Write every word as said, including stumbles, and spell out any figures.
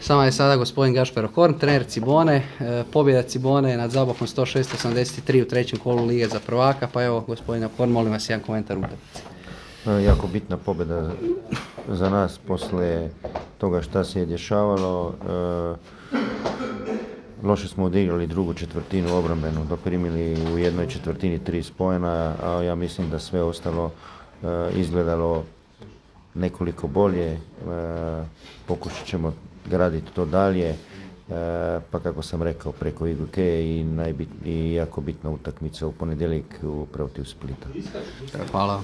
S vama je sada gospodin Gašper Horn, trener Cibone. E, pobjeda Cibone nad Zabokom sto šest osamdeset tri u trećem kolu Lige za prvaka, pa evo gospodina Horn, molim vas jedan komentar utakmice. Jako bitna pobjeda za nas poslije toga šta se je dešavalo. E, loše smo odigrali drugu četvrtinu obrambenu, doprimili u jednoj četvrtini tri spojena, a ja mislim da sve ostalo e, izgledalo nekoliko bolje. E, pokušat ćemo graditi to dalje, e, pa kako sam rekao, preko Iguke i, najbit, i jako bitna utakmica u ponedjeljak protiv Splita. Hvala.